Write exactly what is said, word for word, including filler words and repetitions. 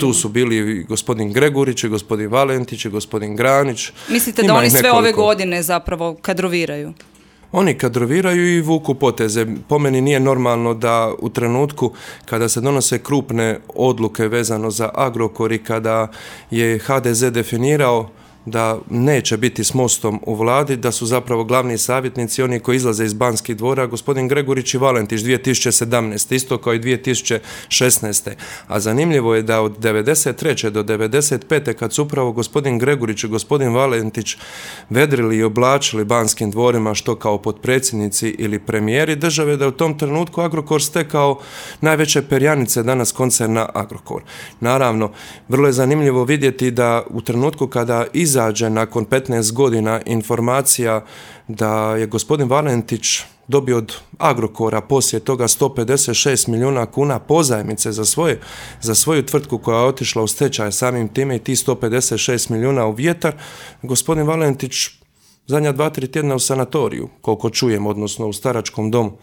Tu su bili i gospodin Gregurić, i gospodin Valentić, i gospodin Granić. Mislite da oni sve ove godine zapravo kadroviraju? Oni kadroviraju i vuku poteze. Po meni nije normalno da u trenutku kada se donose krupne odluke vezano za Agrokor i kada je ha de ze definirao da neće biti s Mostom u vladi, da su zapravo glavni savjetnici oni koji izlaze iz Banskih dvora, gospodin Gregurić i Valentić dvije tisuće sedamnaeste. isto kao i dvije tisuće šesnaeste. A zanimljivo je da od devedeset treće do devedeset pete kad su upravo gospodin Gregurić i gospodin Valentić vedrili i oblačili Banskim dvorima što kao potpredsjednici ili premijeri države, da je u tom trenutku Agrokor stekao najveće perjanice danas koncerna Agrokor. Naravno, vrlo je zanimljivo vidjeti da u trenutku kada izađe nakon petnaest godina informacija da je gospodin Valentić dobio od Agrokora poslije toga sto pedeset šest milijuna kuna pozajmice za, svoje, za svoju tvrtku koja je otišla u stečaj, samim time i ti sto pedeset šest milijuna u vjetar, gospodin Valentić zadnja dva, tri tjedna u sanatoriju, koliko čujem, odnosno u staračkom domu.